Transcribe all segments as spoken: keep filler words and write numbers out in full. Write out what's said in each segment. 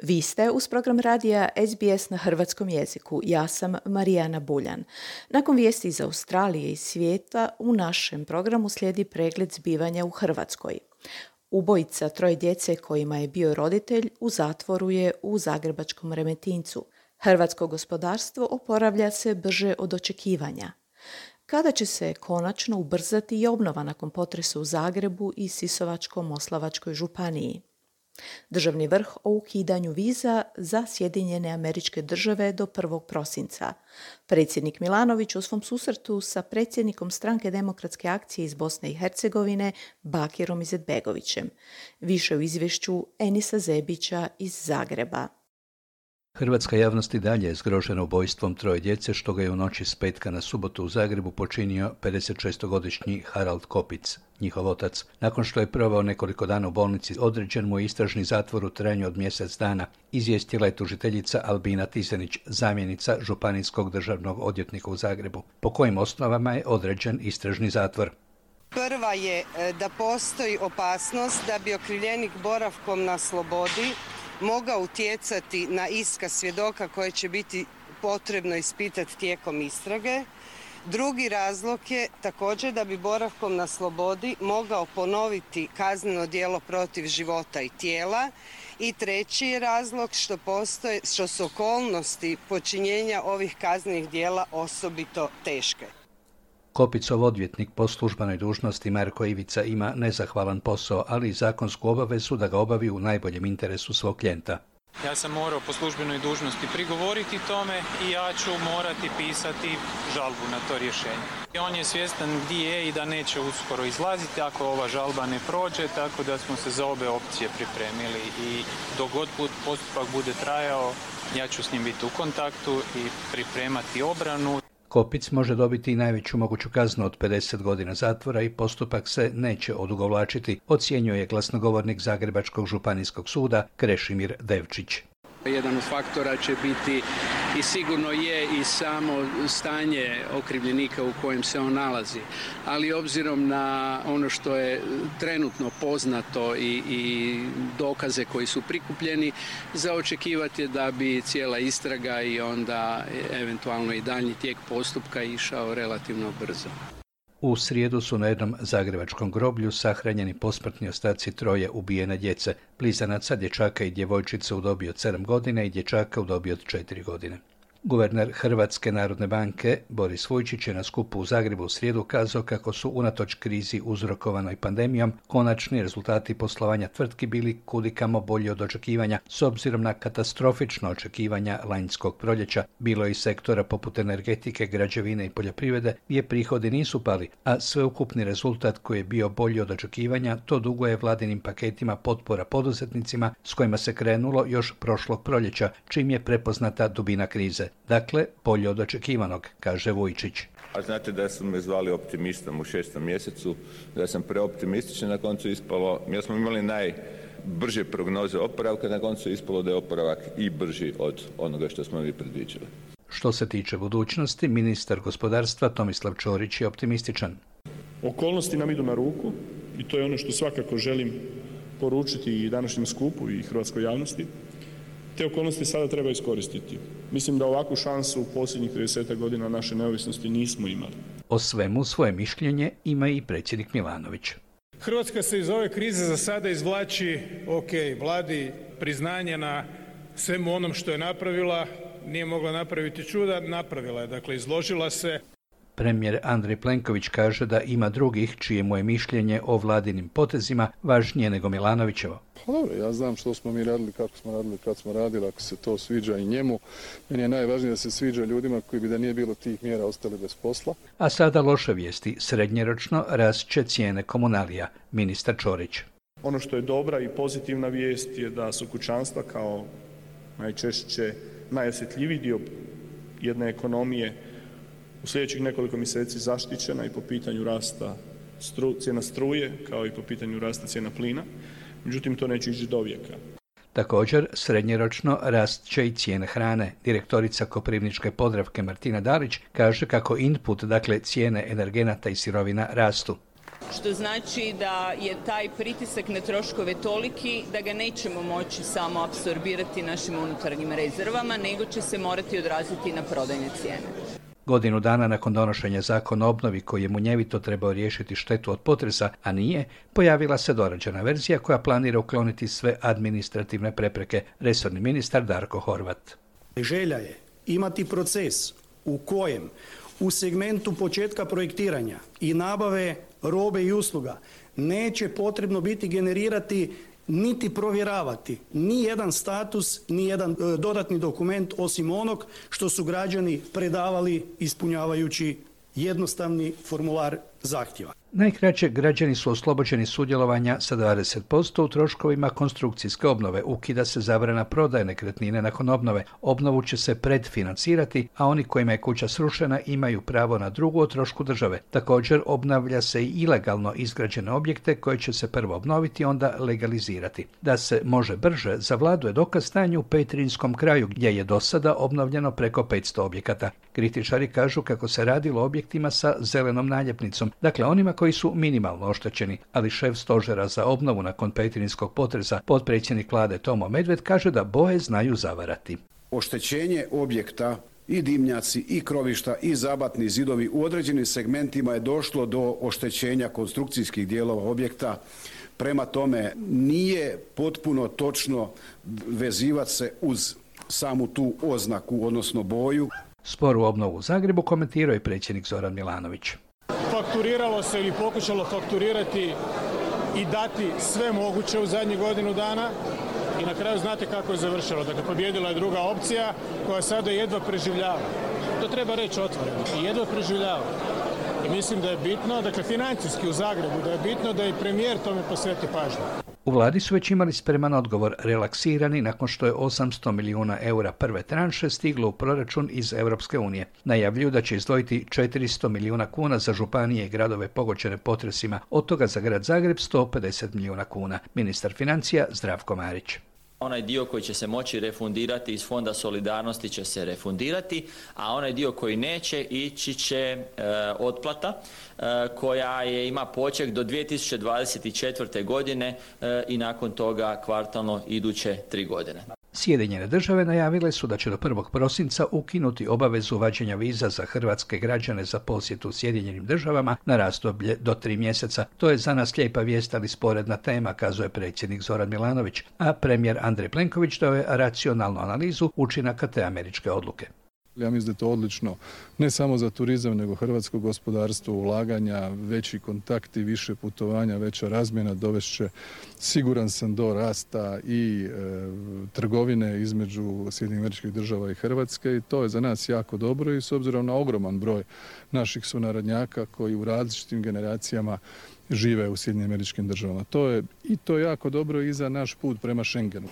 Vi ste uz program radija S B S na hrvatskom jeziku. Ja sam Marijana Buljan. Nakon vijesti iz Australije i svijeta, u našem programu slijedi pregled zbivanja u Hrvatskoj. Ubojica troje djece kojima je bio roditelj u zatvoru je u zagrebačkom Remetincu. Hrvatsko gospodarstvo oporavlja se brže od očekivanja. Kada će se konačno ubrzati i obnova nakon potresa u Zagrebu i Sisačko-moslavačkoj županiji? Državni vrh o ukidanju viza za Sjedinjene Američke Države do prvog prosinca. Predsjednik Milanović u svom susretu sa predsjednikom Stranke demokratske akcije iz Bosne i Hercegovine Bakirom Izetbegovićem. Više u izvješću Enisa Zebića iz Zagreba. Hrvatska javnost i dalje je zgrožena ubojstvom troje djece što ga je u noći s petka na subotu u Zagrebu počinio pedesetšestogodišnji Harald Kopic, njihov otac. Nakon što je proveo nekoliko dana u bolnici, određen mu je istražni zatvor u trajanju od mjesec dana, izvijestila je tužiteljica Albina Tisenić, zamjenica županijskog državnog odvjetnika u Zagrebu. Po kojim osnovama je određen istražni zatvor? Prva je da postoji opasnost da bi okrivljenik boravkom na slobodi mogao utjecati na iskaz svjedoka koje će biti potrebno ispitati tijekom istrage. Drugi razlog je također da bi boravkom na slobodi mogao ponoviti kazneno djelo protiv života i tijela. I treći je razlog što postoje, što su okolnosti počinjenja ovih kaznenih djela osobito teške. Kopicov odvjetnik po službenoj dužnosti Marko Ivica ima nezahvalan posao, ali i zakonsku obavezu da ga obavi u najboljem interesu svog klijenta. Ja sam morao po službenoj dužnosti prigovoriti tome i ja ću morati pisati žalbu na to rješenje. I on je svjestan gdje je i da neće uskoro izlaziti ako ova žalba ne prođe, tako da smo se za obe opcije pripremili i dok god postupak bude trajao, ja ću s njim biti u kontaktu i pripremati obranu. Kopic može dobiti i najveću moguću kaznu od pedeset godina zatvora i postupak se neće odugovlačiti, ocjenjuje glasnogovornik Zagrebačkog županijskog suda Krešimir Devčić. Jedan od faktora će biti i sigurno je i samo stanje okrivljenika u kojem se on nalazi. Ali obzirom na ono što je trenutno poznato i, i dokaze koji su prikupljeni, za očekivati je da bi cijela istraga i onda eventualno i daljnji tijek postupka išao relativno brzo. U srijedu su na jednom zagrebačkom groblju sahranjeni posmrtni ostaci troje ubijene djece, blizanaca, dječaka i djevojčice u dobi od sedam godina i dječaka u dobi od četiri godine. Guverner Hrvatske narodne banke Boris Vujčić je na skupu u Zagrebu u srijedu kazao kako su unatoč krizi uzrokovanoj pandemijom konačni rezultati poslovanja tvrtki bili kudikamo bolji od očekivanja s obzirom na katastrofično očekivanja lanjskog proljeća. Bilo je i sektora poput energetike, građevine i poljoprivrede gdje prihodi nisu pali, a sveukupni rezultat koji je bio bolji od očekivanja to duguje vladinim paketima potpora poduzetnicima s kojima se krenulo još prošlog proljeća, čim je prepoznata dubina krize. Dakle, bolje od očekivanog, kaže Vujčić. A znate da su me zvali optimistom u šestom mjesecu, da sam preoptimističan, na koncu ispalo, mi smo imali najbrže prognoze oporavka, na koncu ispalo da je oporavak i brži od onoga što smo mi predviđali. Što se tiče budućnosti, ministar gospodarstva Tomislav Ćorić je optimističan. Okolnosti nam idu na ruku i to je ono što svakako želim poručiti i današnjem skupu i hrvatskoj javnosti. Te okolnosti sada treba iskoristiti. Mislim da ovakvu šansu u posljednjih trideset godina naše neovisnosti nismo imali. O svemu svoje mišljenje ima i predsjednik Milanović. Hrvatska se iz ove krize za sada izvlači, ok, vladi priznanje na svemu onom što je napravila, nije mogla napraviti čuda, napravila je, dakle izložila se. Premijer Andrej Plenković kaže da ima drugih čije mu je mišljenje o vladinim potezima važnije nego Milanovićevo. Pa dobro, ja znam što smo mi radili, kako smo radili, kad smo radili, ako se to sviđa i njemu. Meni je najvažnije da se sviđa ljudima koji bi da nije bilo tih mjera ostali bez posla. A sada loše vijesti. Srednjeročno rast će cijene komunalija, ministar Ćorić. Ono što je dobra i pozitivna vijest je da su kućanstva kao najčešće najosjetljiviji dio jedne ekonomije u sljedećih nekoliko mjeseci zaštićena i po pitanju rasta stru, cijena struje, kao i po pitanju rasta cijena plina. Međutim, to neće ići do vijeka. Također, srednjeročno rast će i cijene hrane. Direktorica Koprivničke Podravke Martina Dalić kaže kako input, dakle cijene energenata i sirovina, rastu. što znači da je taj pritisak na troškove toliki da ga nećemo moći samo apsorbirati našim unutarnjim rezervama, nego će se morati odraziti na prodajne cijene. Godinu dana nakon donošenja zakona o obnovi koji je munjevito trebao riješiti štetu od potresa, a nije, pojavila se dorađena verzija koja planira ukloniti sve administrativne prepreke, resorni ministar Darko Horvat. Želja je imati proces u kojem u segmentu početka projektiranja i nabave robe i usluga neće potrebno biti generirati niti provjeravati ni jedan status, ni jedan e, dodatni dokument osim onog što su građani predavali ispunjavajući jednostavni formular zahtjeva. Najkraće, građani su oslobođeni sudjelovanja sa dvadeset posto u troškovima konstrukcijske obnove. Ukida se zabrana prodaje nekretnine nakon obnove. Obnovu će se predfinancirati, a oni kojima je kuća srušena imaju pravo na drugu o trošku države. Također, obnavlja se i ilegalno izgrađene objekte koje će se prvo obnoviti, onda legalizirati. Da se može brže, za vladu je dokaz stanje u Petrinjskom kraju, gdje je do sada obnovljeno preko petsto objekata. Kritičari kažu kako se radilo o objektima sa zelenom naljepnicom, dakle onima koji su minimalno oštećeni, ali šef stožera za obnovu nakon petrinjskog potresa, potpredsjednik vlade Tomo Medved, kaže da boje znaju zavarati. Oštećenje objekta i dimnjaci i krovišta i zabatni zidovi u određenim segmentima je došlo do oštećenja konstrukcijskih dijelova objekta. Prema tome nije potpuno točno vezivati se uz samu tu oznaku, odnosno boju. Sporu obnovu u Zagrebu komentirao je predsjednik Zoran Milanović. Fakturiralo se ili pokušalo fakturirati i dati sve moguće u zadnjih godinu dana i na kraju znate kako je završilo. Dakle, pobjedila je druga opcija koja sada jedva preživljava. To treba reći otvoreno. I jedva preživljava. I mislim da je bitno, dakle financijski u Zagrebu, da je bitno da i premijer tome posveti pažnju. U vladi su već imali spreman odgovor, relaksirani nakon što je osamsto milijuna eura prve tranše stiglo u proračun iz Europske unije. Najavljuju da će izdvojiti četiristo milijuna kuna za županije i gradove pogođene potresima, od toga za grad Zagreb sto pedeset milijuna kuna. Ministar financija Zdravko Marić. Onaj dio koji će se moći refundirati iz Fonda solidarnosti će se refundirati, a onaj dio koji neće ići će e, otplata e, koja je, ima poček do dvije tisuće dvadeset četvrte. godine e, i nakon toga kvartalno iduće tri godine. Sjedinjene države najavile su da će do prvog prosinca ukinuti obavezu uvađenja viza za hrvatske građane za posjetu Sjedinjenim državama na razdoblje do tri mjeseca. To je za nas lijepa vijest, ali sporedna tema, kazuje predsjednik Zoran Milanović, a premijer Andrej Plenković dao je racionalnu analizu učinaka te američke odluke. Ja mislim da je to odlično ne samo za turizam, nego hrvatsko gospodarstvo, ulaganja, veći kontakti, više putovanja, veća razmjena dovešće, siguran sam, do rasta i e, trgovine između Sjedinjenih Američkih Država i Hrvatske i to je za nas jako dobro i s obzirom na ogroman broj naših sunarodnjaka koji u različitim generacijama žive u Sjedinjenim Američkim Državama. To je i to je jako dobro i za naš put prema Schengenu.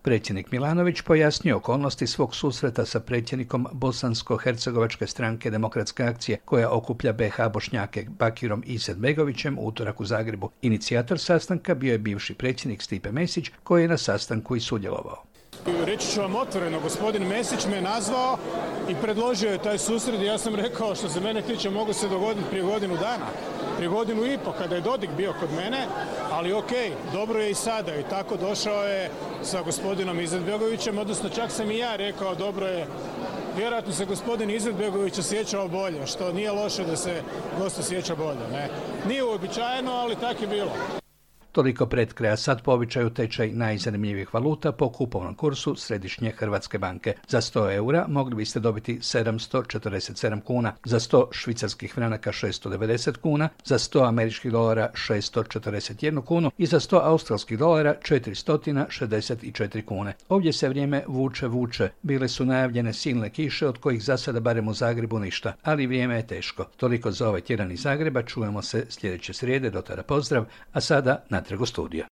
Predsjednik Milanović pojasnio okolnosti svog susreta sa predsjednikom Bosansko-hercegovačke stranke Demokratske akcije, koja okuplja be ha Bošnjake, Bakirom Izetbegovićem, u utorak u Zagrebu. Inicijator sastanka bio je bivši predsjednik Stipe Mesić, koji je na sastanku i sudjelovao. Reći ću vam otvoreno, gospodin Mesić me nazvao i predložio je taj susret i ja sam rekao, što se mene tiče, mogu se dogoditi prije godinu dana, prije godinu i po kada je Dodik bio kod mene, ali ok, dobro je i sada i tako došao je sa gospodinom Izetbegovićem, odnosno čak sam i ja rekao dobro je, vjerojatno se gospodin Izetbegović osjećao bolje, što nije loše da se gost osjeća bolje, ne. Nije uobičajeno, ali tako je bilo. Toliko pred kraja, sad po običaju tečaj najzanimljivijih valuta po kupovnom kursu Središnje Hrvatske banke. Za sto eura mogli biste dobiti sedamsto četrdeset sedam kuna, za sto švicarskih franaka šesto devedeset kuna, za sto američkih dolara šesto četrdeset jednu kunu i za sto australskih dolara četiristo šezdeset četiri kune. Ovdje se vrijeme vuče vuče. Bile su najavljene silne kiše od kojih za sada barem u Zagrebu ništa, ali vrijeme je teško. Toliko za ovaj tjedan iz Zagreba, čujemo se sljedeće srijede, do tada pozdrav, a sada na Trgo studija.